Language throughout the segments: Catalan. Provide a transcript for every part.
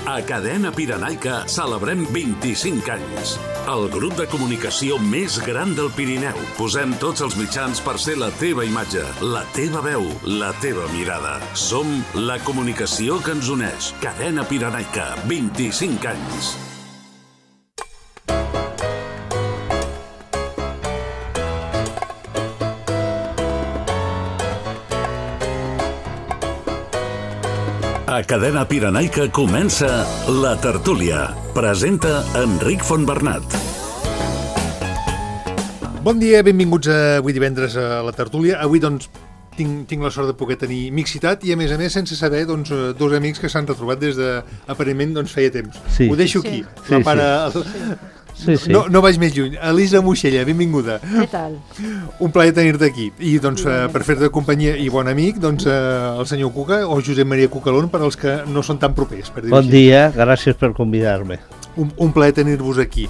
A Cadena Pirenaica celebrem 25 anys. El grup de comunicació més gran del Pirineu. Posem tots els mitjans per ser la teva imatge, la teva veu, la teva mirada. Som la comunicació que ens uneix. Cadena Pirenaica, 25 anys. A Cadena Pirenaica comença La Tertúlia. Presenta Enric Fontbernat. Bon dia, benvinguts avui divendres a La Tertúlia. Avui, doncs, tinc la sort de poder tenir mixitat i, a més, sense saber, doncs, dos amics que s'han retrobat des de, aparentment, doncs, feia temps. Sí. Ho deixo aquí. Sí. La pare... Sí. No vaig més lluny. Elisa Moixella, benvinguda. Què tal? Un plaer tenir-te aquí. I, doncs, per fer-te companyia i bon amic, doncs, el senyor Cuca o Josep Maria Cucalón, per als que no són tan propers. Per dir-ho Bon així. dia, gràcies per convidar-me. Un plaer tenir-vos aquí.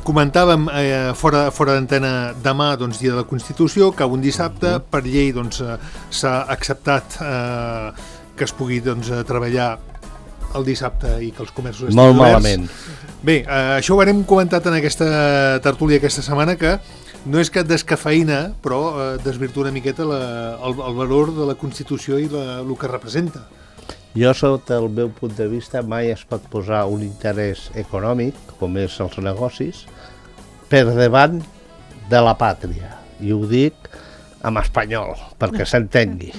Comentàvem fora d'antena demà, doncs, dia de la Constitució, que un dissabte, per llei, doncs, s'ha acceptat que es pugui, doncs, treballar el dissabte i que els comerços estiguin Molt oberts. malament. Bé, això ho hem comentat en aquesta tertúlia aquesta setmana, que no és que descafeïna, però desvirtua una miqueta el valor de la Constitució i el que representa. Jo, sota el meu punt de vista, mai es pot posar un interès econòmic, com és els negocis, per davant de la pàtria. I ho dic en espanyol, perquè s'entengui.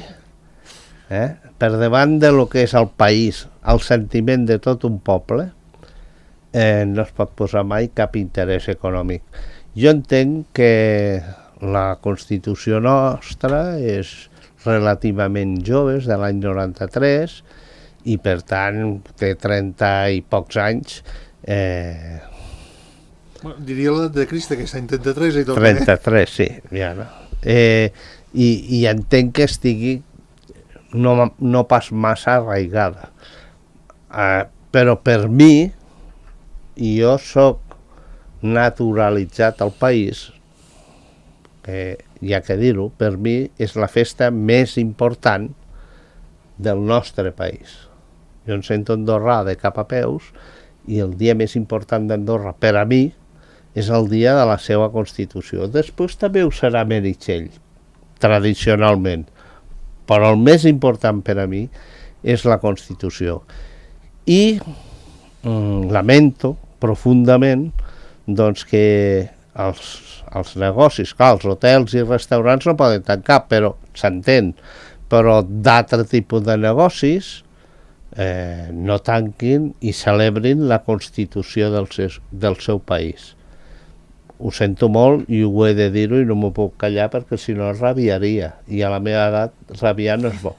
Per davant de lo que és el país, el sentiment de tot un poble, no es pot posar mai cap interès econòmic. Jo entenc que la Constitució nostra és relativament jove, és de l'any 93, i per tant té 30 i pocs anys. Diria la de Crist, aquesta any 33 i tot. 33, sí. Ja, no? I entenc que estigui no pas massa arraigada. Però per mi, i jo soc naturalitzat al país, hi ha que dir-ho, per mi és la festa més important del nostre país. Jo em sento andorrà de cap a peus i el dia més important d'Andorra per a mi és el dia de la seva Constitució. Després també ho serà Meritxell, tradicionalment, però el més important per a mi és la Constitució. I lamento profundament doncs, que els negocis, clar, els hotels i restaurants no poden tancar, però s'entén, però d'altre tipus de negocis no tanquin i celebrin la Constitució del seu país. Ho sento molt i ho he de dir-ho i no m'ho puc callar perquè si no rabiaria, i a la meva edat rabiar no és bo.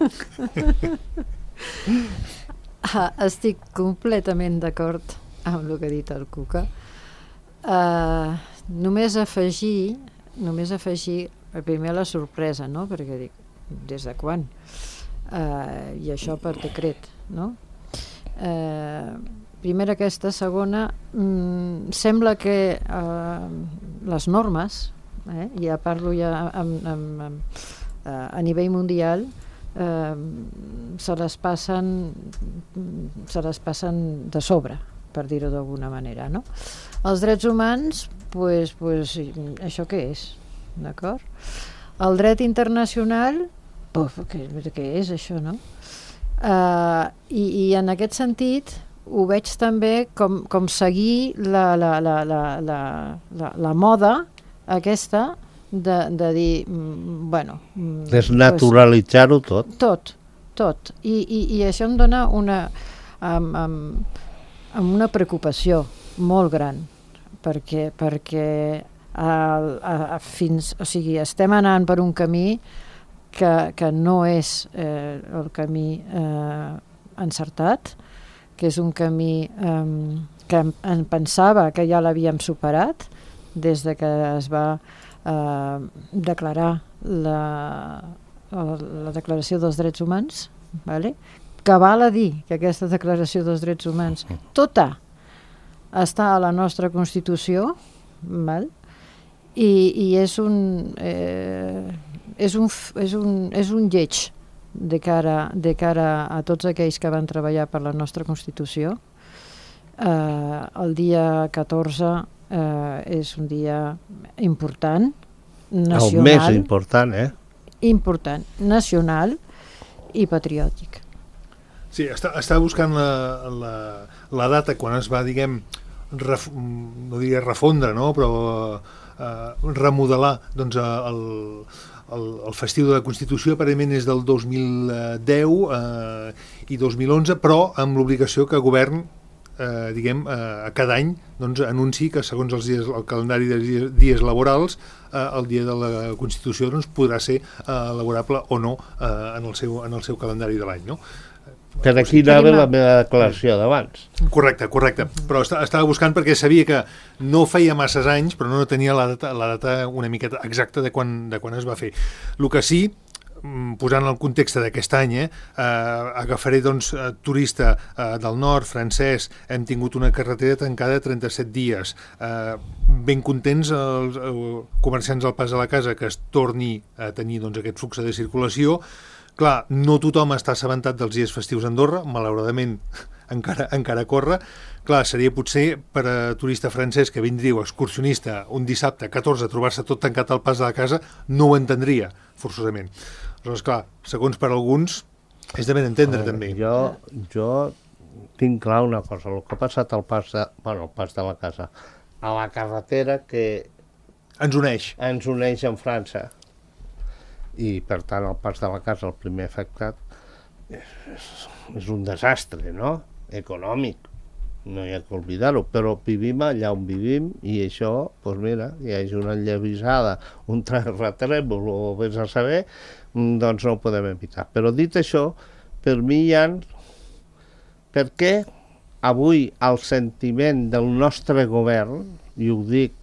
Estic completament d'acord amb el que ha dit el Cuca. Només afegir primer la sorpresa, no? Perquè dic, des de quan? I això per decret, no? Primera aquesta, segona, sembla que les normes, ja parlo ja a nivell mundial, se les passen de sobre, per dir-ho d'alguna manera, no? Els drets humans, pues, això què és? D'acord? El dret internacional, què és això, no? I en aquest sentit ho veig també com seguir la moda aquesta de dir, bueno... Desnaturalitzar-ho tot. Tot. I això em dona una preocupació molt gran, perquè estem anant per un camí que no és el camí encertat, que és un camí que em pensava que ja l'havíem superat des de que es va declarar la Declaració dels Drets Humans, vale? Que val a dir que aquesta Declaració dels Drets Humans tota està a la nostra Constitució, val? I és un lleig de cara a tots aquells que van treballar per la nostra Constitució. El dia 14 és un dia important, nacional. El més important, Important, nacional i patriòtic. Sí, estava buscant la data quan es va, diguem, no diria refondre, no? Però remodelar doncs, el festiu de la Constitució. Aparentment és del 2010 i 2011, però amb l'obligació que el govern a cada any doncs, anunci que segons el calendari de dies laborals el dia de la Constitució doncs, podrà ser laborable o no en el seu calendari de l'any, no? Per aquí anava la meva declaració d'abans. Correcte, però estava buscant perquè sabia que no feia masses anys, però no tenia la data una miqueta exacta de quan es va fer. El que sí, posant el context d'aquest any, agafaré doncs, turista del nord, francès, hem tingut una carretera tancada 37 dies, ben contents els comerciants al pas de la casa que es torni a tenir doncs, aquest flux de circulació. Clar, no tothom està assabentat dels dies festius a Andorra, malauradament encara corre. Clar, seria potser per a turista francès que vindria excursionista un dissabte 14 a trobar-se tot tancat al pas de la casa, no ho entendria, forçosament. Aleshores, clar, segons per alguns, és de ben entendre, també. Jo tinc clar una cosa, el que ha passat al pas de la casa, a la carretera que ens uneix amb França, i per tant el pas de la casa, el primer afectat, és un desastre, no? Econòmic, no hi ha que oblidar-ho, però vivim allà on vivim i això, doncs mira, hi hagi una enllevisada, un terratrèmol o vés a saber, doncs no ho podem evitar. Però dit això, per mi hi ha... Per què avui el sentiment del nostre govern, i ho dic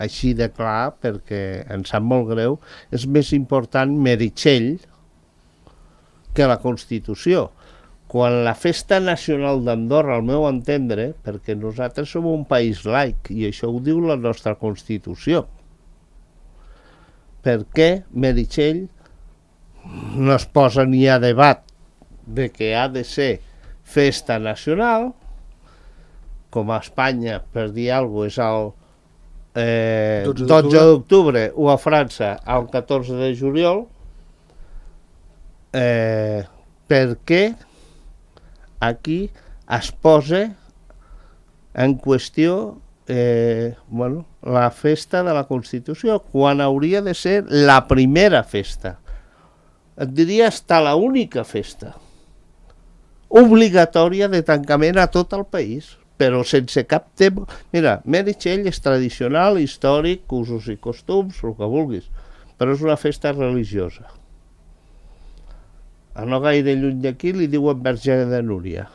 així de clar, perquè em sap molt greu, és més important Meritxell que la Constitució. Quan la festa nacional d'Andorra, al meu entendre, perquè nosaltres som un país laic, i això ho diu la nostra Constitució, per què Meritxell no es posa ni a debat de que ha de ser festa nacional, com a Espanya, per dir alguna cosa, és el 12 d'octubre o a França el 14 de juliol, perquè aquí es posa en qüestió la festa de la Constitució, quan hauria de ser la primera festa. Et diria hasta la única festa obligatòria de tancament a tot el país, però sense cap tema. Mira, Meritxell és tradicional, històric, usos i costums, el que vulguis, però és una festa religiosa. A no gaire lluny d'aquí li diuen Verge de Núria.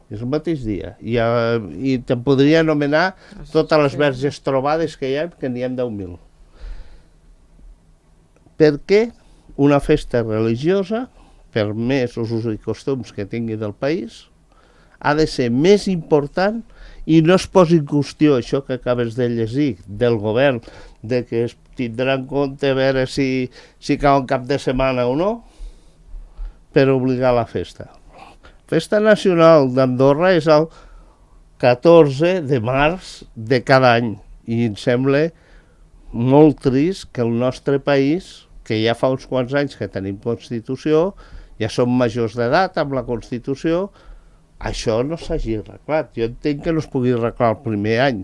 És el mateix dia. I te'n podria anomenar totes les verges trobades que hi ha, que n'hi ha 10.000. Per què una festa religiosa, per més usos i costums que tingui del país, ha de ser més important i no es posi en qüestió això que acabes de llegir del govern, de que es tindrà en compte a veure si cau un cap de setmana o no, per obligar la festa. Festa nacional d'Andorra és el 14 de març de cada any i em sembla molt trist que el nostre país, que ja fa uns quants anys que tenim Constitució, ja som majors d'edat amb la Constitució, això no s'hagi arreglat. Jo entenc que no es pugui arreglar el primer any.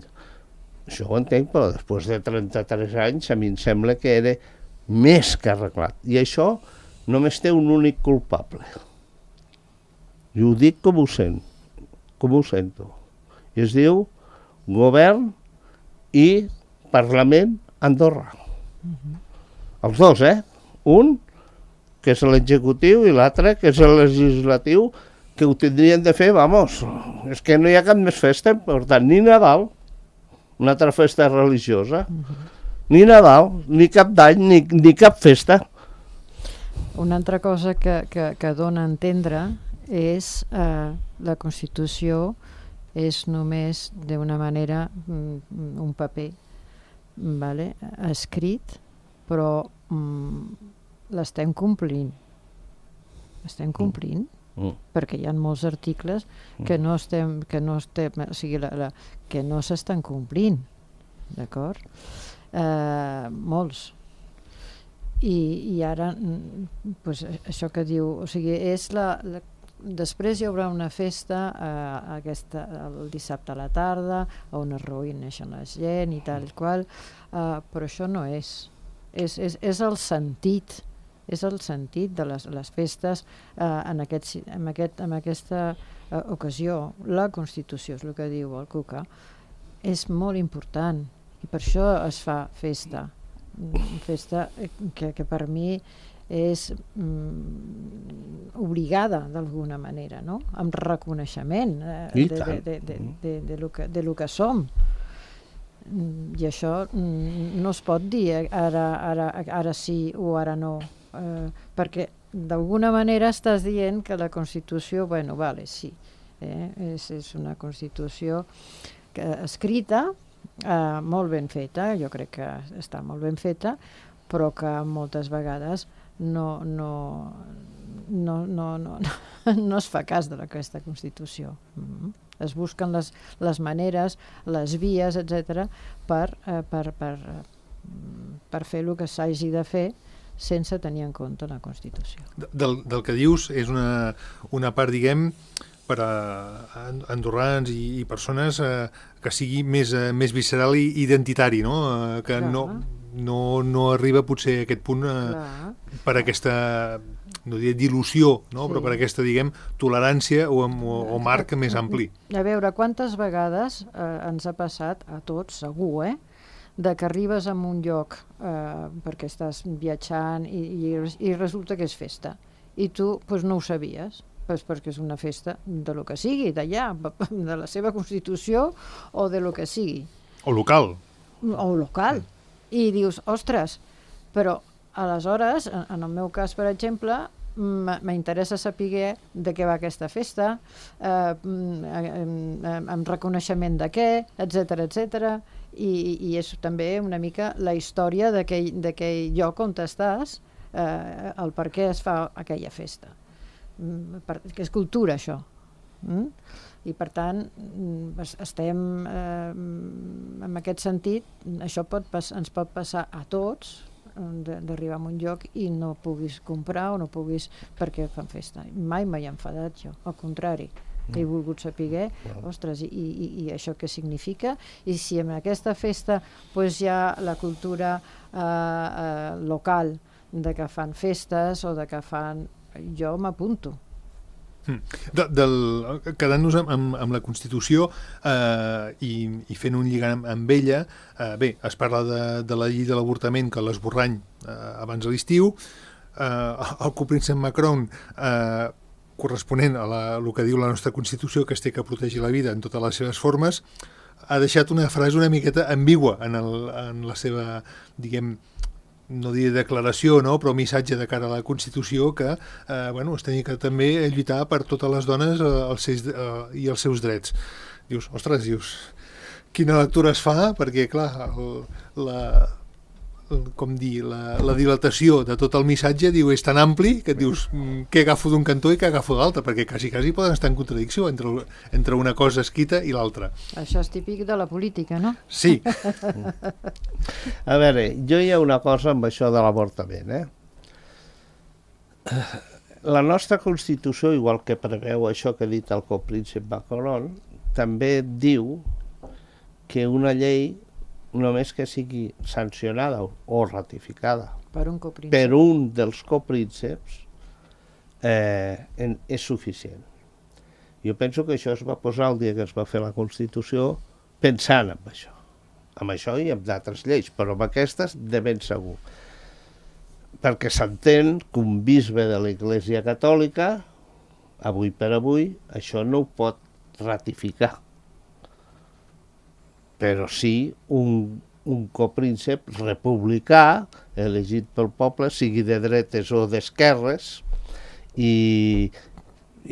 Això ho entenc, però després de 33 anys a mi em sembla que era més que arreglat. I això només té un únic culpable. I ho dic com ho sento. I es diu Govern i Parlament Andorra. Els dos, Un, que és l'executiu, i l'altre, que és el legislatiu, que ho tindrien de fer, és que no hi ha cap més festa, per tant, ni Nadal, una altra festa religiosa, ni Nadal, ni cap d'any, ni cap festa. Una altra cosa que dona a entendre és la Constitució és només d'una manera un paper, escrit, però l'estem complint. estem complint, perquè hi ha molts articles que no s'estan complint, d'acord? Molts. I ara, pues, això que diu, o sigui, és després hi haurà una festa el dissabte a la tarda on es reuneixen la gent i tal i qual, però això no és el sentit de les festes en aquesta ocasió. La Constitució, és el que diu el Cuca, és molt important i per això es fa festa que per mi és obligada d'alguna manera, no? Amb reconeixement de lo que som. I això no es pot dir ara sí o ara no, perquè d'alguna manera estàs dient que la Constitució, bueno, vale, sí, és una Constitució escrita, molt ben feta, jo crec que està molt ben feta, però que moltes vegades no es fa cas d'aquesta Constitució. Es busquen les maneres, les vies, etc., per fer el que s'hagi de fer sense tenir en compte la Constitució. Del que dius és una part, diguem, per a andorrans i persones que sigui més visceral i identitari, no? Que no arriba potser a aquest punt per aquesta, no diré dilució, no? Però per aquesta, diguem, tolerància o marc més ampli. A veure, quantes vegades ens ha passat, a tots, segur, de que arribes a un lloc perquè estàs viatjant i resulta que és festa i tu no ho sabies, perquè és una festa de lo que sigui, d'allà, de la seva Constitució o de lo que sigui. O local. I dius, ostres, però aleshores, en el meu cas, per exemple, m'interessa saber de què va aquesta festa, amb reconeixement de què, etc. I és també una mica la història d'aquell lloc on estàs, el per què es fa aquella festa. Que és cultura, això. I per tant estem en aquest sentit, això ens pot passar a tots, d'arribar a un lloc i no puguis comprar o no puguis perquè fan festa. Mai m'he enfadat jo, al contrari, he volgut saber, ostres, i això què significa, i si en aquesta festa hi ha la cultura local de que fan festes o de que fan... jo m'apunto. Quedant-nos amb la Constitució i fent un lligam amb ella, bé, es parla de la llei de l'avortament que l'esborrany abans de l'estiu, el copríncep Macron, corresponent a el que diu la nostra Constitució, que es té que protegir la vida en totes les seves formes, ha deixat una frase una miqueta ambigua en la seva, diguem, no diré declaració, no? Però missatge de cara a la Constitució que es tenia que també lluitar per totes les dones i els seus drets. Dius, ostres, quina lectura es fa? Perquè, clar, la dilatació de tot el missatge és tan ampli que et dius què agafo d'un cantó i què agafo d'altre, perquè quasi poden estar en contradicció entre una cosa escrita i l'altra. Això és típic de la política, no? Sí. A veure, jo hi ha una cosa amb això de l'avortament, La nostra Constitució, igual que preveu això que ha dit el copríncep Macron, també diu que una llei només que sigui sancionada o ratificada per un dels coprínceps és suficient. Jo penso que això es va posar el dia que es va fer la Constitució pensant en això i en d'altres lleis, però amb aquestes de ben segur. Perquè s'entén que un bisbe de l'Església Catòlica, avui per avui, això no ho pot ratificar. Però sí un copríncep republicà, elegit pel poble, sigui de dretes o d'esquerres, i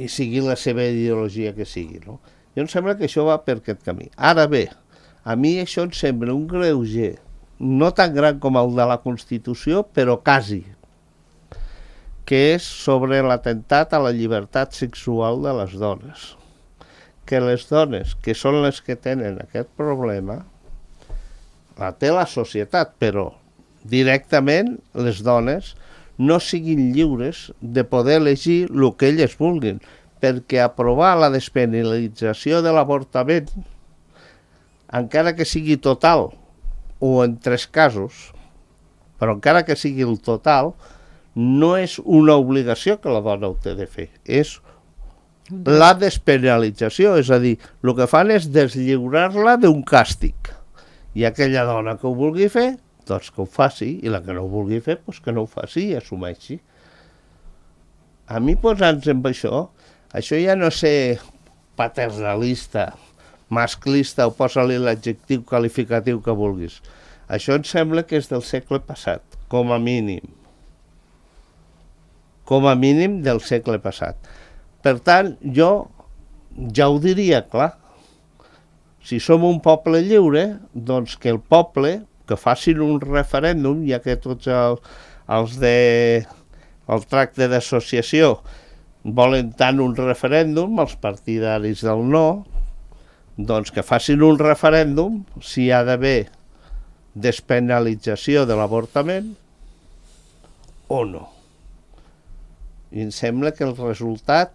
sigui la seva ideologia que sigui. No? Jo em sembla que això va per aquest camí. Ara bé, a mi això em sembla un greuger, no tan gran com el de la Constitució, però quasi. que és sobre l'atemptat a la llibertat sexual de les dones. Que les dones, que són les que tenen aquest problema, la té la societat, però directament les dones no siguin lliures de poder elegir el que elles vulguin, perquè aprovar la despenalització de l'avortament, encara que sigui total, o en 3 casos, però encara que sigui el total, no és una obligació que la dona ho té de fer, és la despenalització, és a dir, el que fan és deslliurar-la d'un càstig. I aquella dona que ho vulgui fer, doncs que ho faci, i la que no ho vulgui fer, doncs que no ho faci i assumeixi. A mi posant-nos amb això ja no sé paternalista, masclista, o posa-li l'adjectiu qualificatiu que vulguis. Això em sembla que és del segle passat, com a mínim. Com a mínim del segle passat. Per tant, jo ja ho diria clar. Si som un poble lliure, doncs que el poble, que facin un referèndum, ja que tots els el tracte d'associació volen tant un referèndum, els partidaris del no, doncs que facin un referèndum si hi ha d'haver despenalització de l'avortament o no. I em sembla que el resultat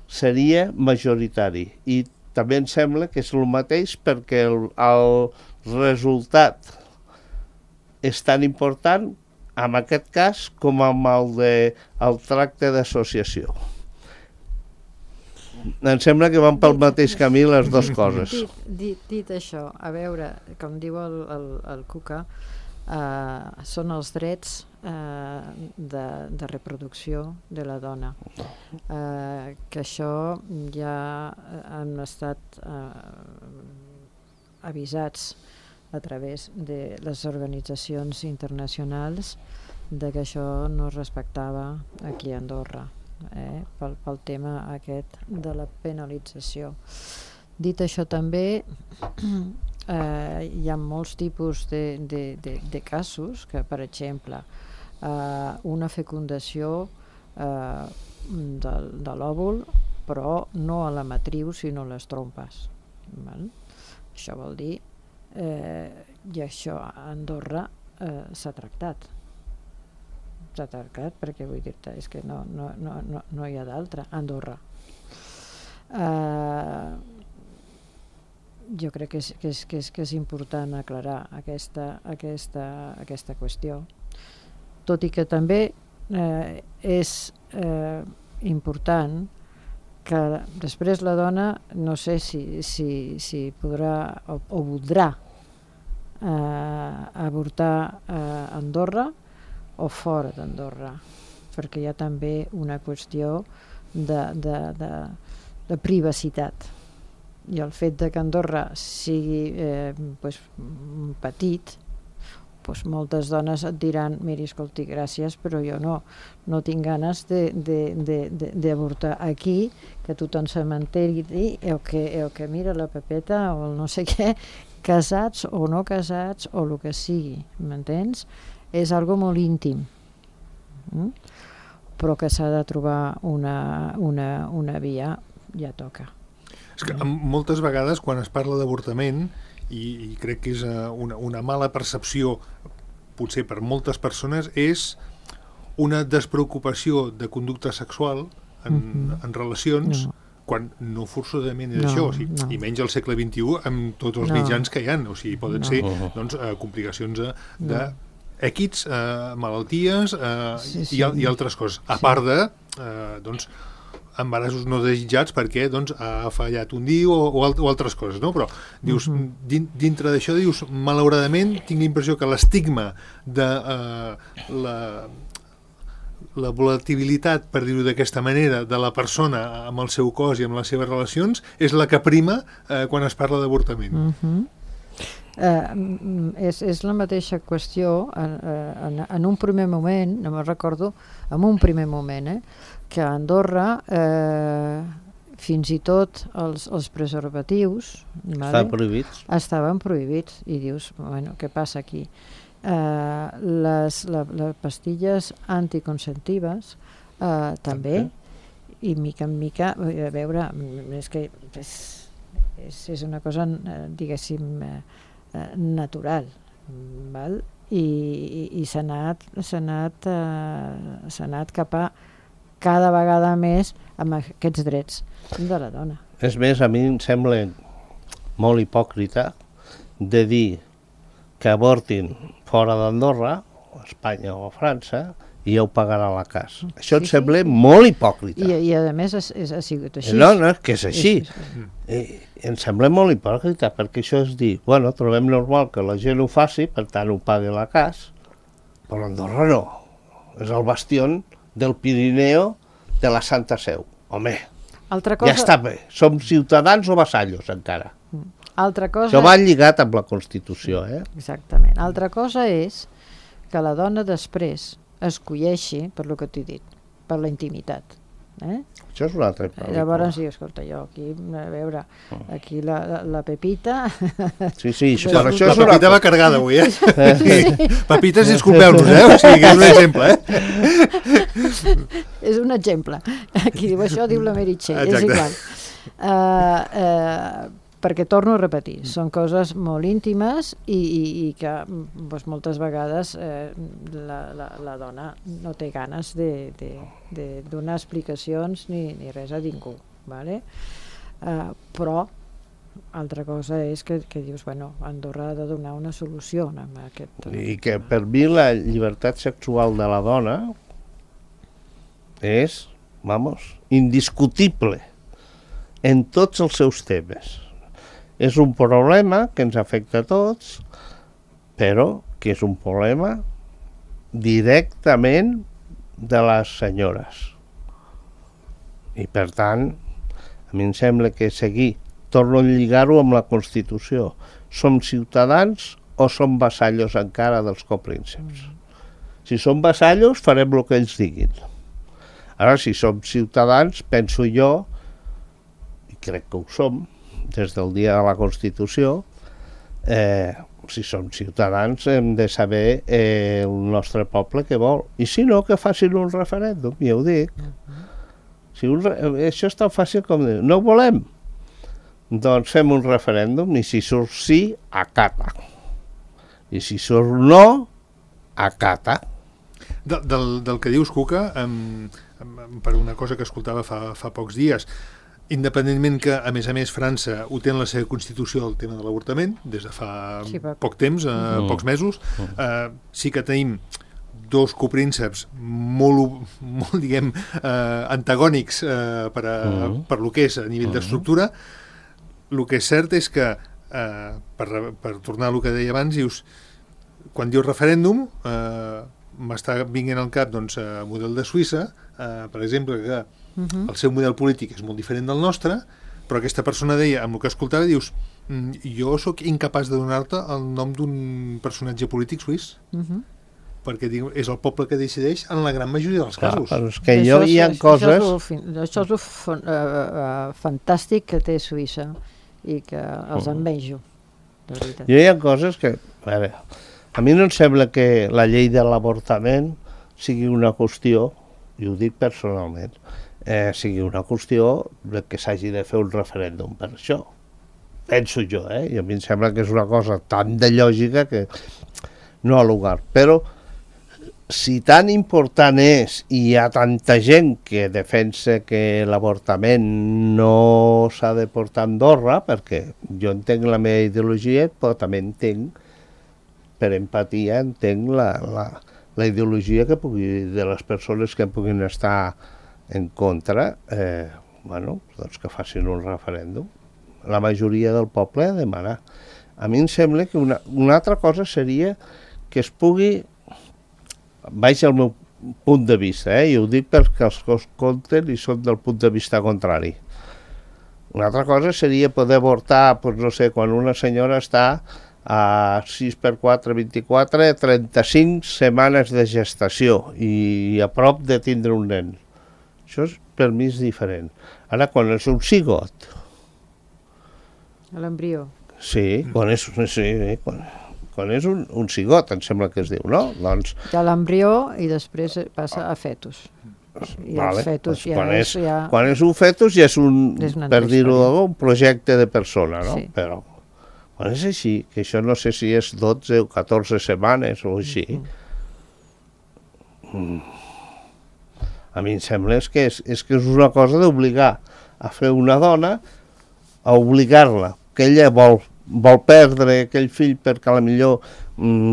seria majoritari. I també em sembla que és el mateix perquè el resultat és tan important en aquest cas com amb el tracte d'associació. Em sembla que van pel mateix camí les dues coses. Dit això, a veure, com diu el Cuca, són els drets de reproducció de la dona, que això ja han estat avisats a través de les organitzacions internacionals de que això no es respectava aquí a Andorra, pel tema aquest de la penalització. Dit això també, hi ha molts tipus de casos que, per exemple, una fecundació de l'òvul, però no a la matriu sinó a les trompes. Això vol dir, i això a Andorra s'ha tractat. S'ha tractat perquè vull dir-te, és que no hi ha d'altra a Andorra. Jo crec que és important aclarar aquesta qüestió, tot i que també és important que després la dona no sé si podrà o voldrà avortar a Andorra o fora d'Andorra, perquè hi ha també una qüestió de privacitat. I el fet de que Andorra sigui petit, moltes dones et diran: miri, escolti, gràcies, però jo no tinc ganes d'avortar aquí, que tothom se m'enteri, o que mira la Pepeta o el no sé què, casats o no casats o el que sigui, m'entens? És algo molt íntim, però que s'ha de trobar una via, ja toca. És que moltes vegades quan es parla d'avortament, i crec que és una mala percepció potser per moltes persones, és una despreocupació de conducta sexual en relacions, quan no forçosament és això, i menys al segle XXI amb tots els mitjans que hi ha, o sigui, poden ser complicacions d'èquits, malalties i altres coses, a part de embarassos no desitjats perquè ha fallat un dia o altres coses, no? Però dius, dintre d'això dius, malauradament tinc la impressió que l'estigma de la volatilitat, per dir-ho d'aquesta manera, de la persona amb el seu cos i amb les seves relacions és la que prima quan es parla d'avortament. És la mateixa qüestió en un primer moment, no me'n recordo, en un primer moment, que a Andorra fins i tot els preservatius estaven prohibits i dius, bueno, què passa aquí? les pastilles anticonceptives també, i mica en mica, a veure, és que és una cosa, diguéssim, natural, val? I s'ha anat cap a cada vegada més amb aquests drets de la dona. És més, a mi em sembla molt hipòcrita de dir que avortin fora d'Andorra, o Espanya o França, i ja ho pagarà la casa. Això em sembla molt hipòcrita. I a més ha sigut així. No, és que és així. Em sembla molt hipòcrita, perquè això és dir, bueno, trobem normal que la gent ho faci, per tant ho pagui la casa, però Andorra no. És el bastió del Pirineu de la Santa Seu. Home, ja està bé. Som ciutadans o vassallos, encara. Altra cosa... Això va lligat amb la Constitució, Exactament. Altra cosa és que la dona després escolleixi, per lo que t'he dit, per la intimitat. Això és un altre problema. Llavors, sí, escolta, jo aquí, a veure, aquí la Pepita... Sí, però això la Pepita va carregada avui, Pepites, disculpeu-nos, o sigui, és un exemple, És un exemple. Qui diu això diu la Meritxell, és igual. Perquè torno a repetir, són coses molt íntimes i que moltes vegades la dona no té ganes de donar explicacions ni res a ningú, ¿vale? Però altra cosa és que dius, bueno, Andorra ha de donar una solució a aquest... I que per mi la llibertat sexual de la dona és, indiscutible en tots els seus temes. És un problema que ens afecta a tots, però que és un problema directament de les senyores. I per tant, a mi em sembla que torno a lligar-ho amb la Constitució. Som ciutadans o som vassallos encara dels coprínceps? Si som vassallos, farem el que ells diguin. Ara, si som ciutadans, penso jo, i crec que ho som, des del dia de la Constitució, si som ciutadans hem de saber el nostre poble què vol. I si no, que facin un referèndum, ja ho dic. Això és tan fàcil com dir, no ho volem? Doncs fem un referèndum i si surt sí, acata. I si surt no, acata. Del que dius, Cuca, per una cosa que escoltava fa pocs dies, independentment que, a més, França ho té en la seva Constitució el tema de l'avortament, des de fa poc temps, pocs mesos, sí que tenim dos coprínceps molt diguem, antagònics per lo que és a nivell d'estructura. El que és cert és que, per tornar a lo que deia abans, dius, quan dius referèndum, m'està vinguent al cap el model de Suïssa, per exemple, que el seu model polític és molt diferent del nostre, però aquesta persona deia, amb el que escoltava, dius, jo sóc incapaç de donar-te el nom d'un personatge polític suís, perquè és el poble que decideix en la gran majoria dels casos. Però és que hi ha coses... Això és el fantàstic que té Suïssa i que els envejo, de veritat. Hi ha coses que... A mi no em sembla que la llei de l'avortament sigui una qüestió, i ho dic personalment, sigui una qüestió que s'hagi de fer un referèndum per això. Penso jo, i a mi em sembla que és una cosa tan de lògica que no ha lugar. Però si tan important és i hi ha tanta gent que defensa que l'avortament no s'ha de portar a Andorra, perquè jo entenc la meva ideologia, però també entenc, per empatia, entenc la ideologia que de les persones que puguin estar en contra, doncs que facin un referèndum. La majoria del poble ha de demanar. A mi em sembla que una altra cosa seria que es pugui, vaig al meu punt de vista, i ho dic perquè els que es compten i són del punt de vista contrari. Una altra cosa seria poder avortar, no sé, quan una senyora està a 6x4, 24, 35 setmanes de gestació i a prop de tindre un nen. Això per mi és diferent. Ara, quan és un cigot... L'embrió. Sí, quan quan és un cigot, em sembla que es diu, no? Doncs, Hi ha l'embrió i després passa a fetus. I vale, el fetus doncs ja quan és un fetus ja és un, És una per altra dir-ho història. un projecte de persona, no? Sí. Però quan és així, que això no sé si és 12 o 14 setmanes o així, a mi em sembla que és una cosa d'obligar a fer una dona, a obligar-la, que ella vol perdre aquell fill perquè potser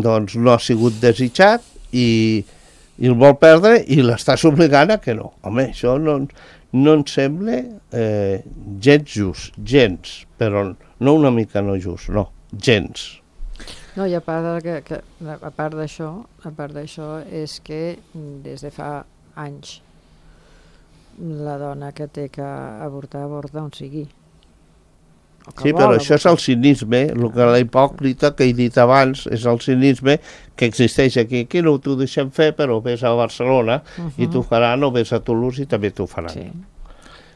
doncs, no ha sigut desitjat i el vol perdre i l'estàs obligant a que no. Home, això no em sembla gens just, gens, però no una mica no just, no, gens. No, i a part d'això és que des de fa anys la dona que té que avortar avorta on sigui. Sí, però això és el cinisme, la hipòcrita que he dit abans, és el cinisme que existeix aquí. Aquí no t'ho deixem fer, però vés a Barcelona i t'ho faran, o vés a Toulouse i també t'ho faran. Sí.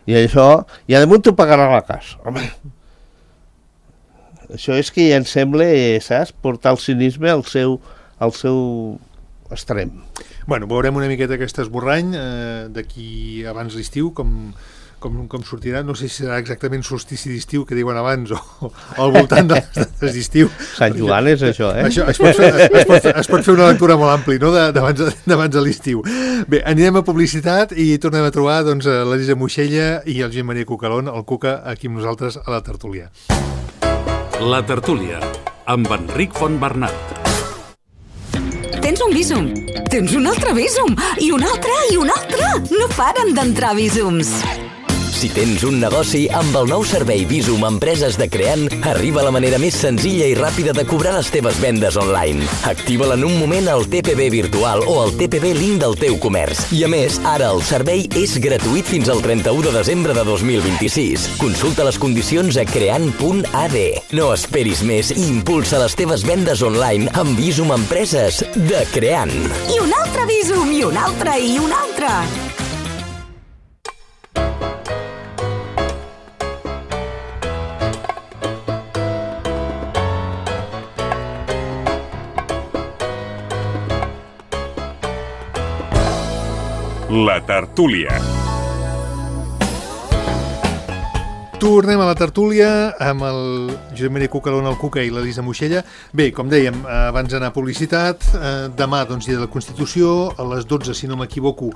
I això, i a damunt t'ho pagarà la casa. Home, això és que ja em sembla, saps, portar el cinisme al seu extrem. Bueno, veurem una miqueta aquest esborrany d'aquí abans l'estiu, com sortirà. No sé si serà exactament solstici d'estiu, que diuen abans, o al voltant de les dates d'estiu. Sant Joan és això, eh? Això es pot fer una lectura molt àmplia, no?, d'abans de l'estiu. Bé, anirem a publicitat i tornem a trobar doncs, l'Elisa Moixella i el Josep Maria Cucalón, el Cuca, aquí amb nosaltres a la tertúlia. La tertúlia, amb Enric Fontbernat. Tens un Bizum, tens un altre Bizum, i un altre, i un altre. No paren d'entrar Bizums. Si tens un negoci, amb el nou servei Bizum Empreses de Creant, arriba la manera més senzilla i ràpida de cobrar les teves vendes online. Activa-la en un moment al TPB virtual o al TPB link del teu comerç. I a més, ara el servei és gratuït fins al 31 de desembre de 2026. Consulta les condicions a creant.ad. No esperis més i impulsa les teves vendes online amb Bizum Empreses de Creant. I un altre Bizum, i un altre, i un altre. La tertúlia. Tornem a la tertúlia amb el Josep Maria Cucalón, el Cuca, i l'Elisa Moixella. Bé, com dèiem, abans d'anar a publicitat, demà, doncs, dia de la Constitució, a les 12, si no m'equivoco,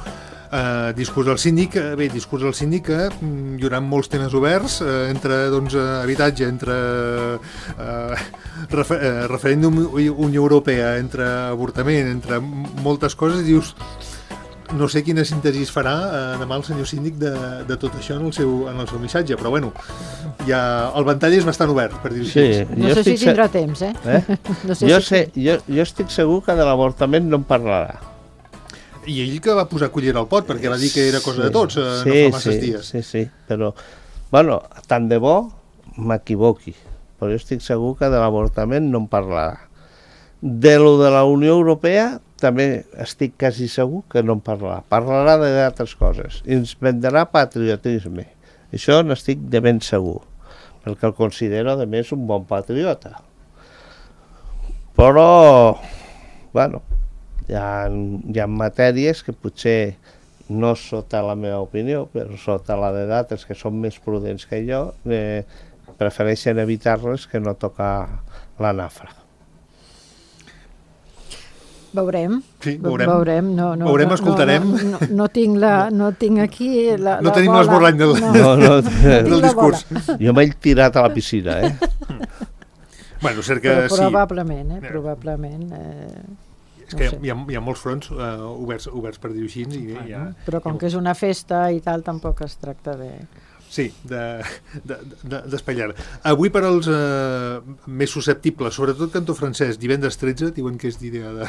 discurs del síndic. Bé, discurs del síndic, hi haurà molts temes oberts, entre doncs, habitatge, entre referèndum Unió Europea, entre avortament, entre moltes coses. Dius, no sé quina síntesi es farà demà el senyor síndic de tot això en el seu missatge, però bueno, ja el ventall és bastant obert, per dir-ho així. Sí, No sé si tindrà temps, No sé jo estic segur que de l'avortament no en parlarà. I ell que va posar cullera al pot, perquè va dir que era cosa de tots, no fa masses dies. Sí, però, bueno, tant de bo m'equivoqui, però jo estic segur que de l'avortament no en parlarà. De lo de la Unió Europea també estic quasi segur que no en parlarà. Parlarà d'altres coses. I ens vendrà patriotisme. Això n'estic de ben segur, perquè el considero, a més, un bon patriota. Però, bueno, hi ha matèries que potser no sota la meva opinió, però sota la d'altres que són més prudents que jo, prefereixen evitar-les que no tocar la nafra. Veurem. Sí, veurem. Veurem, escoltarem. No tinc aquí la no tenim bola. l'esborrany del discurs. Jo m'he tirat a la piscina, Bueno, cert que però probablement, probablement. És que hi ha molts fronts oberts per dir-ho així. Però com que és una festa i tal, tampoc es tracta de... Sí, d'espatllar. Avui per als més susceptibles, sobretot cantó francès, divendres 13, diuen que és dia de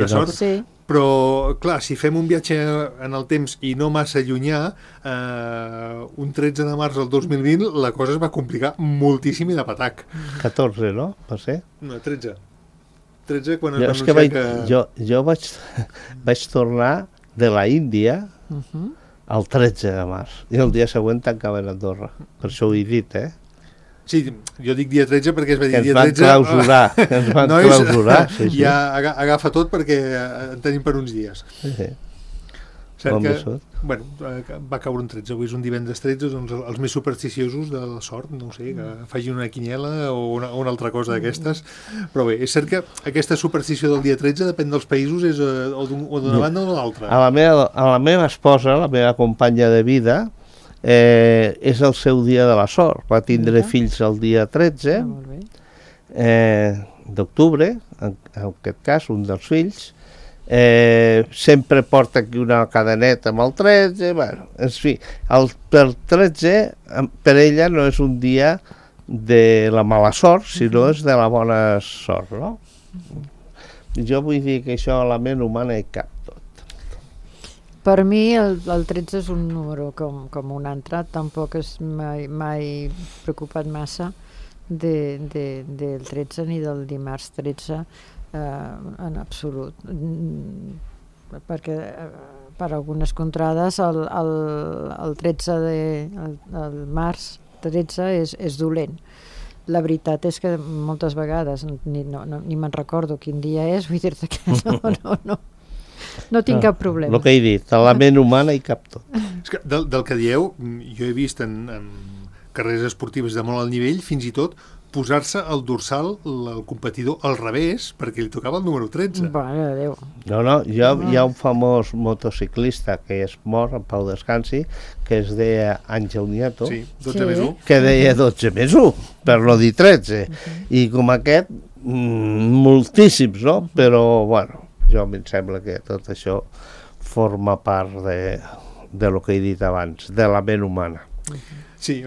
sort, sí. Però clar, si fem un viatge en el temps i no massa llunyà, un 13 de març del 2020 la cosa es va complicar moltíssim i de patac. 14, no? Va ser? No, 13. 13 quan es va anunciar que... Jo vaig tornar de la Índia el 13 de març i el dia següent tancaven a Andorra. Per això ho he dit, Sí, jo dic dia 13 perquè es va dir que ens dia van 13... clausurar, que ens van Nois, clausurar. Sí, sí. ja agafa tot perquè en tenim per uns dies. Sí. Cert Bon que, beso. bueno, va caure un 13, avui és un divendres 13, doncs els més supersticiosos de la sort, no ho sé, que facin una quiniela o una altra cosa d'aquestes, però bé, és cert que aquesta superstició del dia 13 depèn dels països, és o d'una banda o de l'altra. A la meva esposa, la meva companya de vida, és el seu dia de la sort. Va tindre fills el dia 13 d'octubre, en aquest cas, un dels fills. Sempre porta aquí una cadeneta amb el 13, bueno, en fi, per 13 per ella no és un dia de la mala sort, sinó és de la bona sort, no? Jo vull dir que això a la ment humana hi cap tot. Per mi el 13 és un número com un altre, tampoc és mai preocupat massa del 13 ni del dimarts 13, en absolut, perquè per algunes contrades el 13 el març 13 és dolent. La veritat és que moltes vegades ni me'n recordo quin dia és, vull dir-te que no tinc cap problema. El que he dit, a la ment humana hi cap tot. És que del que dieu, jo he vist en carreres esportives de molt alt nivell, fins i tot posar-se el dorsal, el competidor, al revés, perquè li tocava el número 13. Mare de Déu. No, hi ha un famós motociclista que és mort, en pau descansi, que es deia Àngel Nieto, Sí, 12 més 1. que deia 12 més 1, per no dir 13. I com aquest, moltíssims, no? Però, bueno, jo em sembla que tot això forma part de lo que he dit abans, de la ment humana. Sí,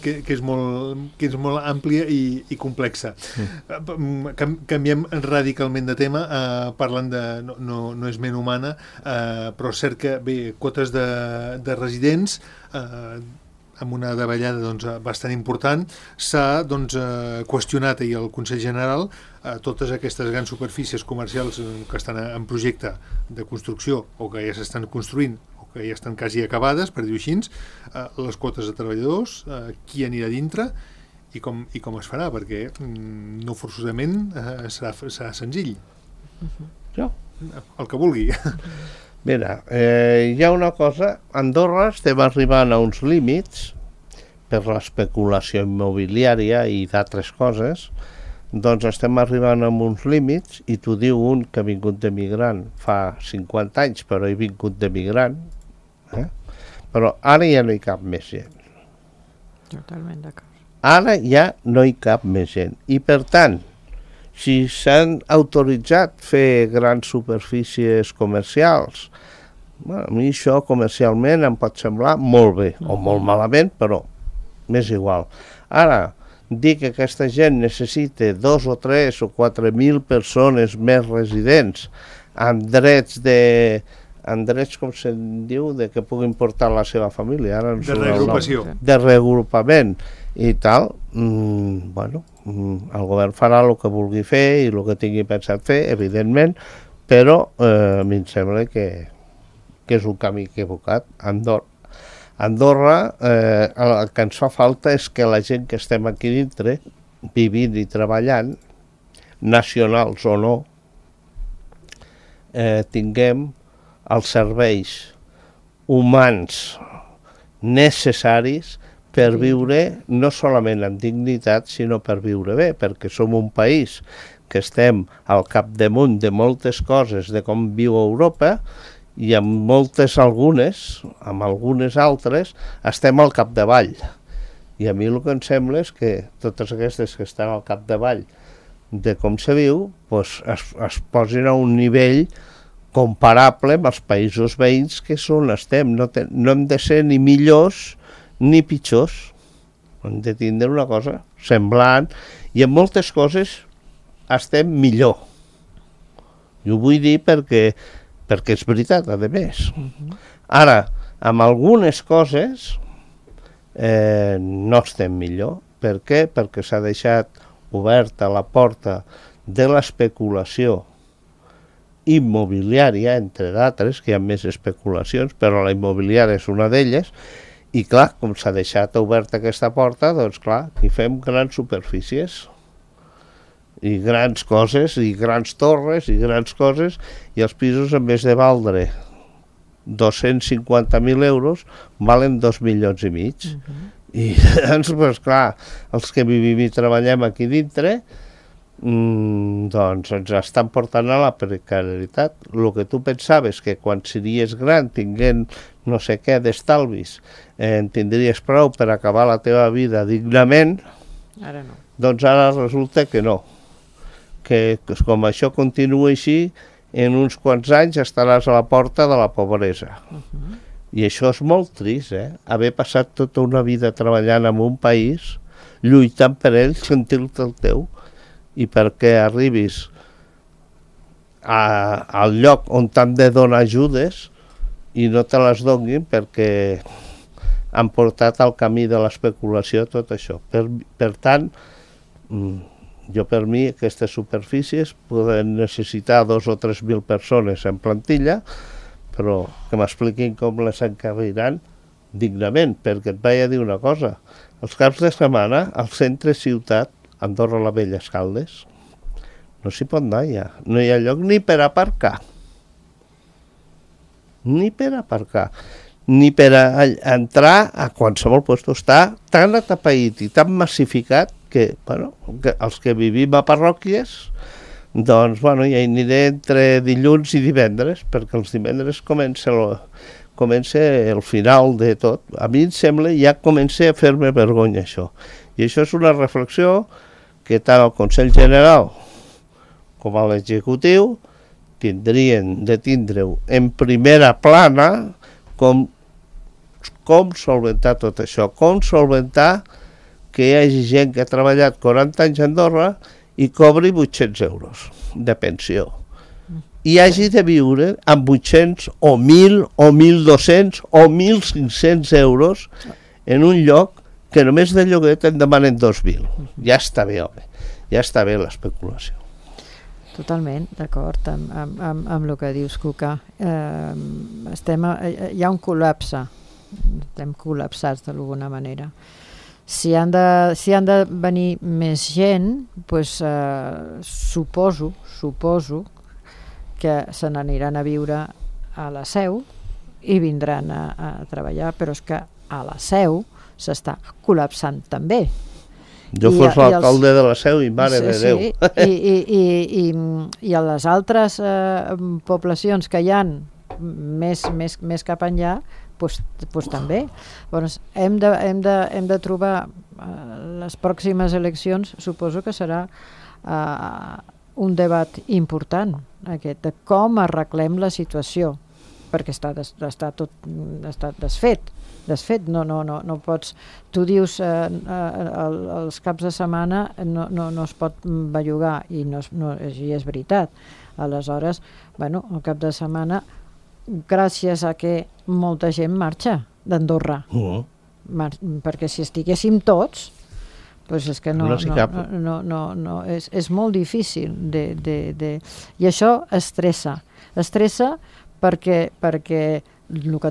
que és molt àmplia i complexa. Canviem radicalment de tema, parlant de... No és ment humana, però és cert que, bé, quotes de residents, amb una davallada doncs, bastant important, s'ha qüestionat ahir el Consell General totes aquestes grans superfícies comercials que estan en projecte de construcció o que ja s'estan construint que ja estan quasi acabades, per dir-ho així, les quotes de treballadors, qui anirà dintre i com es farà, perquè no forçosament serà senzill. Jo? El que vulgui. Mira, hi ha una cosa, a Andorra estem arribant a uns límits per l'especulació immobiliària i d'altres coses, doncs estem arribant a uns límits i t'ho diu un que ha vingut de migrant fa 50 anys, però he vingut de migrant, però ara ja no hi cap més gent. Totalment d'acord. Ara ja no hi cap més gent. I per tant, si s'han autoritzat fer grans superfícies comercials, bueno, a mi això comercialment em pot semblar molt bé, o molt malament, però m'és igual. Ara, dir que aquesta gent necessita 2 o 3 o 4.000 persones més residents amb drets com se'n diu, de que puguin portar la seva família. Ara de reagrupació. De reagrupament i tal, bueno, el govern farà el que vulgui fer i el que tingui pensat fer, evidentment, però a mi em sembla que és un camí equivocat. Andorra, el que ens fa falta és que la gent que estem aquí dintre, vivint i treballant, nacionals o no, tinguem els serveis humans necessaris per viure no solament amb dignitat, sinó per viure bé, perquè som un país que estem al capdamunt de moltes coses de com viu Europa i amb algunes altres, estem al capdavall. I a mi el que em sembla és que totes aquestes que estan al capdavall de com se viu, doncs es posin a un nivell comparable amb els països veïns que és on estem. No hem de ser ni millors ni pitjors. Hem de tindre una cosa semblant i en moltes coses estem millor. I ho vull dir perquè és veritat, a més. Ara, amb algunes coses no estem millor. Per què? Perquè s'ha deixat oberta la porta de l'especulació immobiliària, entre d'altres, que hi ha més especulacions, però la immobiliària és una d'elles, I clar, com s'ha deixat oberta aquesta porta, doncs clar, hi fem grans superfícies i grans coses, i grans torres, i grans coses, i els pisos, en vez de valdre 250.000 euros, valen 2,5 milions. I doncs, pues, clar, els que vivim i treballem aquí dintre, doncs ens estan portant a la precarietat. El que tu pensaves que quan series gran, tinguent no sé què d'estalvis, tindries prou per acabar la teva vida dignament, Ara no. doncs ara resulta que no. Que com això continua així, en uns quants anys estaràs a la porta de la pobresa. I això és molt trist, haver passat tota una vida treballant en un país, lluitant per ell, sentir-te el teu, i perquè arribis al lloc on t'han de donar ajudes i no te les donin perquè han portat al camí de l'especulació tot això. Per tant, jo per mi aquestes superfícies poden necessitar 2 o 3.000 persones en plantilla, però que m'expliquin com les encarriran dignament, perquè et vaig a dir una cosa, els caps de setmana al centre ciutat, Andorra la Vella, Escaldes, no s'hi pot anar ja, no hi ha lloc ni per aparcar, ni per entrar a qualsevol lloc. Està tan atapeït i tan massificat que, bueno, que els que vivim a parròquies, doncs, bueno, ja hi aniré entre dilluns i divendres, perquè els divendres comença el final de tot. A mi em sembla, ja comença a fer-me vergonya això. I això és una reflexió que tant el Consell General com a l'executiu tindrien de tindre-ho en primera plana com solventar tot això, com solventar que hi hagi gent que ha treballat 40 anys a Andorra i cobri 800 euros de pensió. I hagi de viure amb 800 o 1.000 o 1.200 o 1.500 euros en un lloc que només de lloguer te'n demanen 2.000. Ja està bé, home. Ja està bé l'especulació. Totalment, d'acord amb el que dius, Cuca. Hi ha un col·lapse. Estem col·lapsats d'alguna manera. Si han de venir més gent, doncs, suposo que se n'aniran a viure a la Seu i vindran a treballar, però és que a la Seu s'està col·lapsant també. Jo fos l'alcalde de la Seu i mare de Déu. I a les altres poblacions que hi ha més cap enllà, doncs també. Llavors, hem de trobar les pròximes eleccions, suposo que serà un debat important, aquest, de com arreglem la situació, perquè està desfet. No pots, tu dius els caps de setmana no es pot bellugar i és veritat. Aleshores, bueno, el cap de setmana, gràcies a que molta gent marxa d'Andorra, perquè si estiguéssim tots, doncs és que és molt difícil i això estressa perquè el que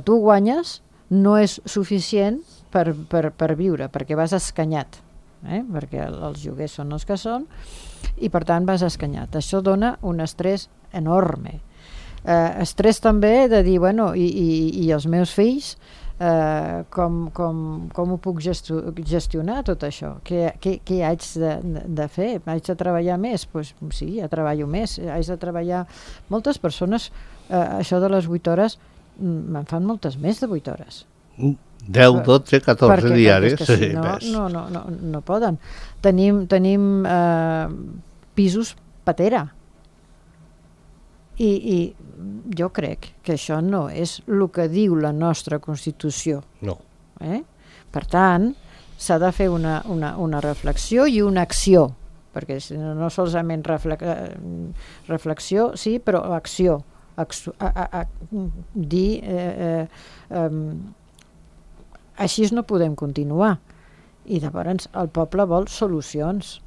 tu guanyes no és suficient per viure, perquè vas escanyat, perquè els lloguers són els que són i per tant vas escanyat. Això dona un estrès enorme. Estrès també de dir, bueno, i els meus fills, com ho puc gestionar tot això? Què haig de fer? Haig de treballar més? Doncs sí, ja treballo més. Haig de treballar... Moltes persones, això de les 8 hores, me'n fan moltes més de 8 hores. 10, 12, 14 diaris. Perquè si no poden. Tenim pisos patera. I jo crec que això no és el que diu la nostra Constitució. No. Per tant, s'ha de fer una reflexió i una acció, perquè no solament reflexió, sí, però acció. Dir així no podem continuar. I llavors el poble vol solucions.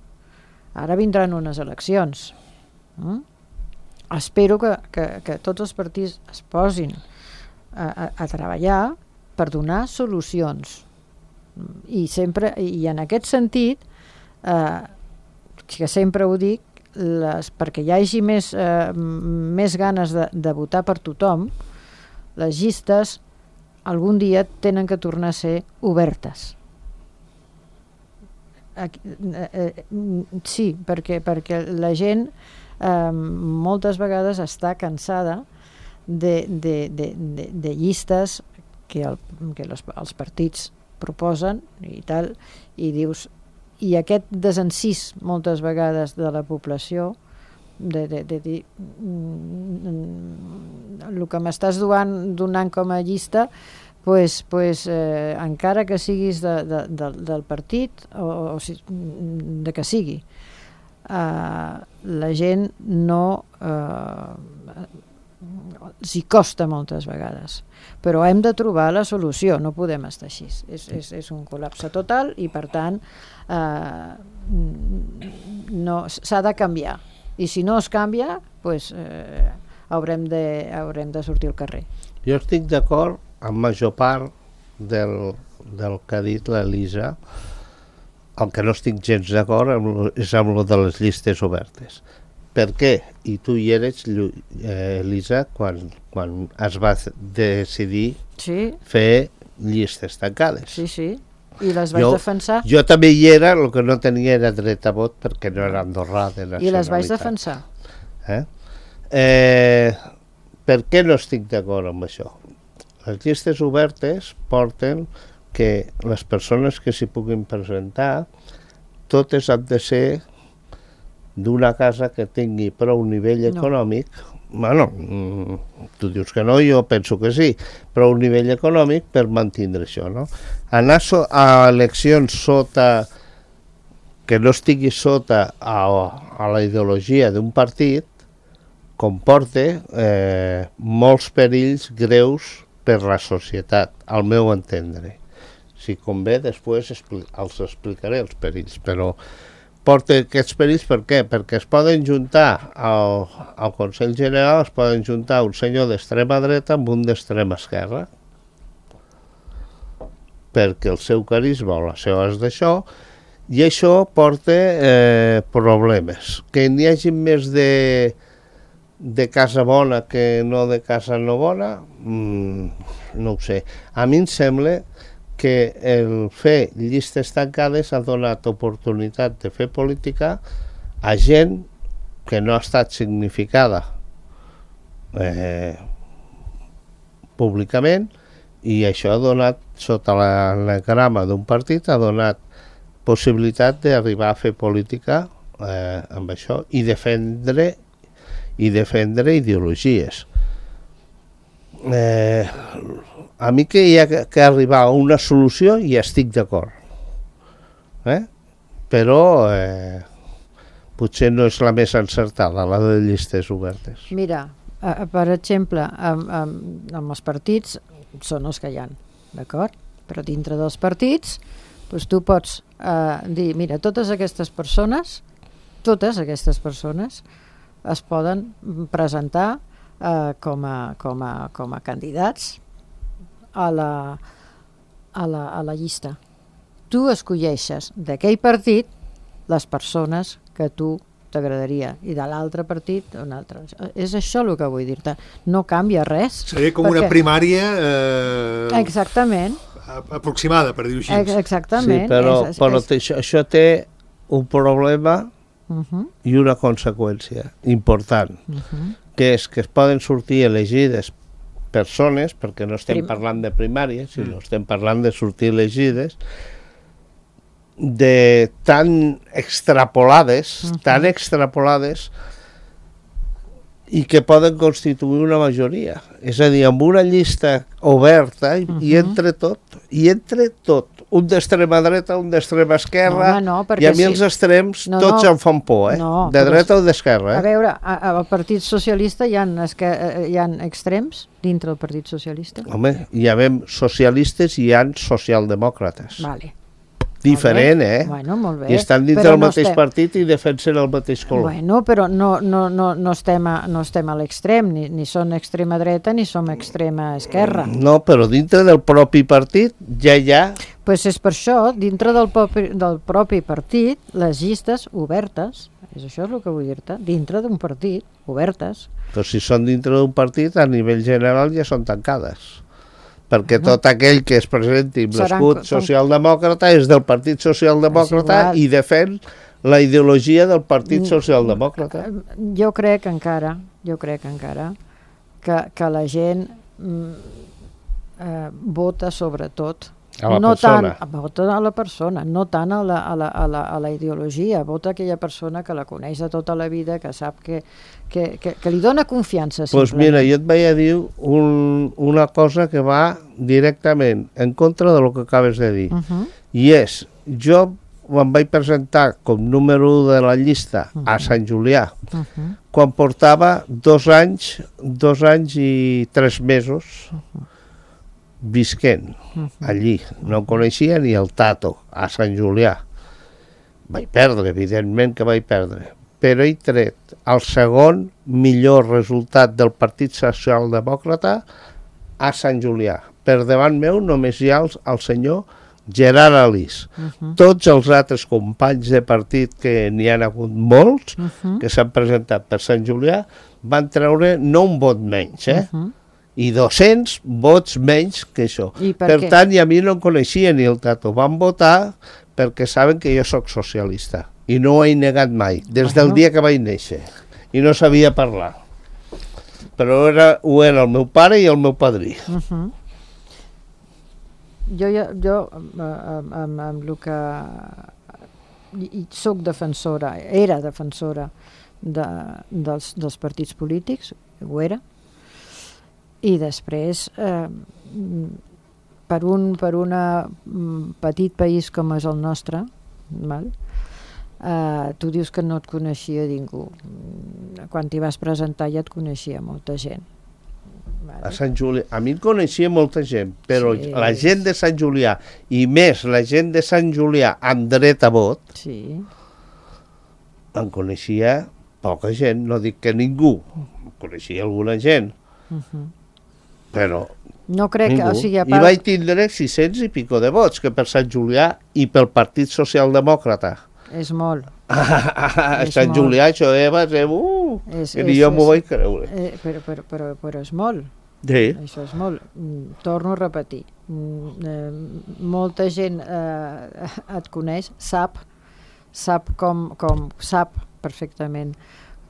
Ara vindran unes eleccions. Espero que tots els partits es posin a treballar per donar solucions. I en aquest sentit, que sempre ho dic, perquè hi hagi més ganes de votar per tothom, les llistes algun dia tenen que tornar a ser obertes. Sí, perquè la gent moltes vegades està cansada de llistes que els partits proposen i tal, i dius, i aquest desencís moltes vegades de la població de dir el que m'estàs donant com a llista, encara que siguis del partit o de que sigui, la gent no els hi costa moltes vegades, però hem de trobar la solució, no podem estar així, és un col·lapse total i per tant s'ha de canviar, i si no es canvia haurem de sortir al carrer. Jo estic d'acord amb major part del que ha dit l'Elisa. El que no estic gens d'acord és amb lo de les llistes obertes. Per què? I tu hi eres, Elisa, quan es va decidir fer llistes tancades. Sí, i les vaig defensar. Jo també hi era, el que no tenia era dret a vot perquè no era andorrà de nacionalitat. I les vaig defensar. Per què no estic d'acord amb això? Les llistes obertes porten que les persones que s'hi puguin presentar totes han de ser d'una casa que tingui prou nivell econòmic. Bueno, tu dius que no, jo penso que sí, prou nivell econòmic per mantindre això, no? Anar a eleccions que no estigui sota a la ideologia d'un partit comporta molts perills greus per la societat, al meu entendre. Si convé, després els explicaré els perills, però porta aquests perills per què? Perquè es poden juntar al Consell General, es poden juntar un senyor d'extrema dreta amb un d'extrema esquerra, perquè el seu carisma o les seves d'això, i això porta problemes. Que n'hi hagi més de casa bona que no de casa no bona, no ho sé. A mi em sembla que el fer llistes tancades ha donat oportunitat de fer política a gent que no ha estat significada públicament, i això ha donat, sota l'anagrama d'un partit, ha donat possibilitat d'arribar a fer política amb això i defendre ideologies. A mi que hi ha que arribar a una solució i estic d'acord, però potser no és la més encertada, la de llistes obertes. Mira, per exemple, amb els partits són els que hi ha, d'acord? Però dintre dels partits tu pots dir, mira, totes aquestes persones es poden presentar com a candidats a la llista. Tu escolleixes d'aquell partit les persones que tu t'agradaria, i de l'altre partit un altre. És això el que vull dir-te. No canvia res. Seria com una primària exactament aproximada, per dir-ho així. Exactament. Sí, però això té un problema i una conseqüència important, que és que es poden sortir elegides persones, perquè no estem parlant de primària, sinó estem parlant de sortir elegides, de tan extrapolades, i que poden constituir una majoria. És a dir, amb una llista oberta i entre tot, un d'extrema dreta, un d'extrema esquerra, i a mi els extrems tots em fan por, de dreta o d'esquerra. A veure, al Partit Socialista hi ha extrems dintre del Partit Socialista? Home, hi ha socialistes i hi ha socialdemòcrates. Vale. Diferent, Bueno, molt bé. I estan dins del mateix partit i defensen el mateix color. Bueno, però no estem a l'extrem, ni som extrema dreta ni som extrema esquerra. No, però dintre del propi partit ja hi ha... Pues és per això, dintre del propi partit, les llistes obertes, això és el que vull dir-te, dintre d'un partit, obertes. Però si són dintre d'un partit, a nivell general ja són tancades. Perquè tot aquell que es presenti amb l'escut socialdemòcrata és del Partit Socialdemòcrata i defèn la ideologia del Partit Socialdemòcrata. Jo crec encara que la gent vota sobretot a la persona. Vota a la persona, no tant a la ideologia. Vota aquella persona que la coneix de tota la vida, que sap que li dona confiança. Doncs mira, jo et vaig a dir una cosa que va directament en contra del que acabes de dir. I és, jo em vaig presentar com número 1 de la llista a Sant Julià, quan portava 2 anys i 3 mesos visquent allí. No coneixia ni el Tato, a Sant Julià. Vaig perdre, evidentment que vaig perdre, però he tret el segon millor resultat del Partit Socialdemòcrata a Sant Julià. Per davant meu només hi ha el senyor Gerard Alís. Tots els altres companys de partit, que n'hi ha hagut molts, que s'han presentat per Sant Julià, van treure no un vot menys, i 200 vots menys que això. Per tant, i a mi no em coneixia ni el Tato. Van votar perquè saben que jo sóc socialista i no ho he negat mai, des del dia que vaig néixer, i no sabia parlar, però ho era el meu pare i el meu padrí. Jo amb el que soc defensora, era defensora dels partits polítics, ho era, i després per un petit país com és el nostre, tu dius que no et coneixia ningú. Quan t'hi vas presentar ja et coneixia molta gent. A Sant Julià, a mi em coneixia molta gent, però la gent de Sant Julià, i més la gent de Sant Julià amb dret a vot, em coneixia poca gent, no dic que ningú, em coneixia alguna gent, però no crec que, o sigui, i vaig tindre 600 i pico de vots, que per Sant Julià i pel Partit Socialdemòcrata és molt. A Sant Julià això va ser que jo m'ho vaig creure, però és molt. Això és molt. Torno a repetir, molta gent et coneix, sap perfectament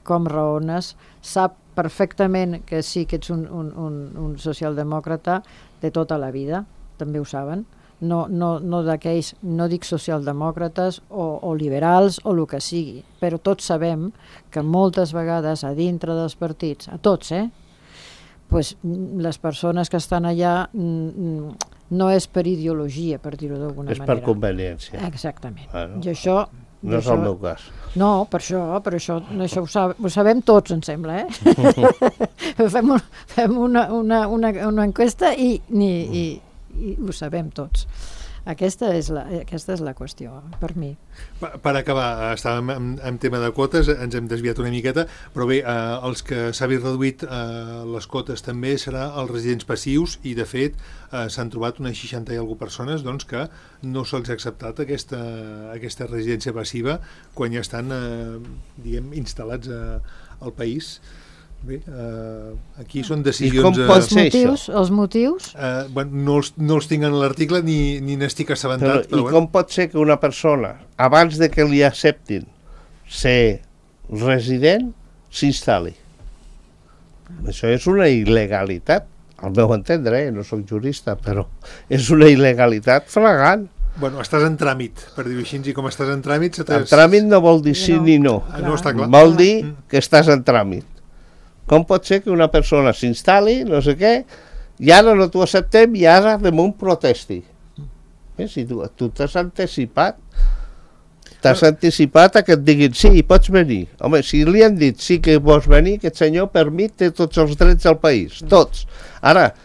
com raones, sap perfectament que sí que ets un socialdemòcrata de tota la vida, també ho saben, no d'aquells, no dic socialdemòcrates o liberals o el que sigui, però tots sabem que moltes vegades a dintre dels partits, a tots, pues, les persones que estan allà no és per ideologia, per dir-ho d'alguna manera. És per conveniència. Exactament. I això... No és el meu cas. No, per això ho sabem tots, em sembla, Fem una enquesta i ho sabem tots. Aquesta és la qüestió, per mi. Per acabar, estàvem en tema de quotes, ens hem desviat una miqueta, però bé, els que s'havien reduït les quotes també serà els residents passius, i de fet s'han trobat unes 60 i alguna persones que no se'ls ha acceptat aquesta residència passiva quan ja estan instal·lats al país. Bé, aquí són decisions... Els motius? No els tinc en l'article ni n'estic assabentat. I com pot ser que una persona, abans de que li acceptin ser resident, s'instal·li? Això és una il·legalitat, al meu entendre, no soc jurista, però és una il·legalitat flagrant. Bueno, estàs en tràmit, per dir-ho així, i com estàs en tràmit... El tràmit no vol dir sí ni no. No està clar. Vol dir que estàs en tràmit. Com pot ser que una persona s'instal·li, no sé què, i ara no t'ho acceptem i ara damunt protesti? Si tu t'has anticipat a que et diguin sí, pots venir. Home, si li han dit sí que pots venir, aquest senyor per mi té tots els drets del país, tots. Ara,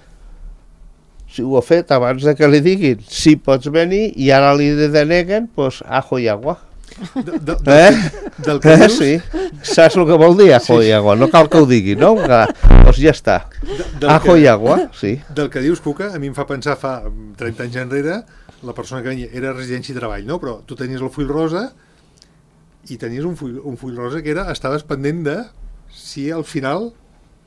si ho ha fet abans de que li diguin si pots venir i ara li deneguen, doncs ajo i agua. Del que dius? Sí, saps el que vol dir ajo i agua? No cal que ho digui, no? Doncs ja està. Ajo i agua, sí. Del que dius, Cuca, a mi em fa pensar fa 30 anys enrere, la persona que venia era residència i treball, no? Però tu tenies el full rosa i tenies un full rosa que era, estaves pendent de si al final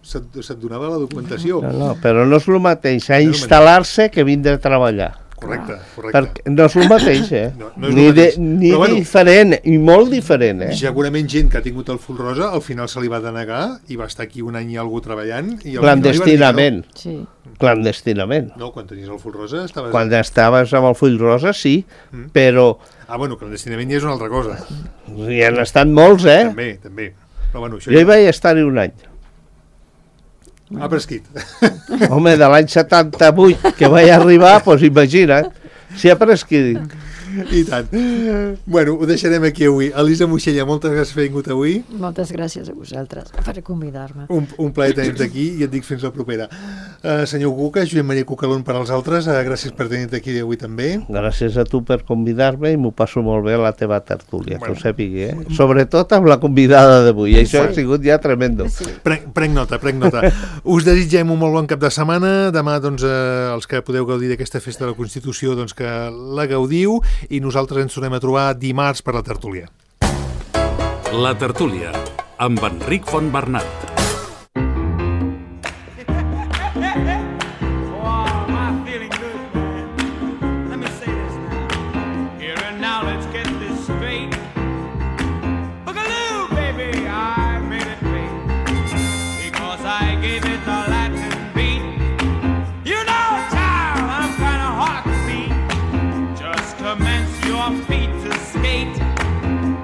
se't donava la documentació. No, però no és el mateix a instal·lar-se que vindre a treballar. Correcte. Perquè no és el mateix, No és el mateix. Ni Però, bueno, diferent, i molt diferent, Segurament gent que ha tingut el full rosa al final se li va denegar i va estar aquí un any i algú treballant i clandestinament. Sí. Clandestinament. No, quan tenies el full rosa estaves... Quan estaves amb el full rosa, sí, però... bueno, clandestinament ja és una altra cosa. Hi han estat molts, També. Però, bueno, això jo hi vaig estar-hi un any. Ha prescrit. Home, de l'any 78 que vaig arribar, doncs imagina't, si ha prescrit. I tant. Bueno, ho deixarem aquí avui. Elisa Moixella, moltes gràcies per haver vingut avui. Moltes gràcies a vosaltres per convidar-me. Un plaer tenir-te aquí i et dic fins la propera. Senyor Cuca, Josep Maria Cucalón per als altres, gràcies per tenir-te aquí avui també. Gràcies a tu per convidar-me i m'ho passo molt bé a la teva tertúlia, que ho sàpigui, Sobretot amb la convidada d'avui, això ha sigut ja tremendo. Sí. Prenc nota. Us desitgem un molt bon cap de setmana. Demà, doncs, els que podeu gaudir d'aquesta festa de la Constitució, doncs que la gaudiu, i nosaltres ens tornem a trobar dimarts per la tertúlia. La tertúlia, amb Enric Fontbernat.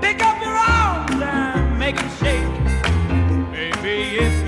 Pick up your arms and make it shake. Baby, if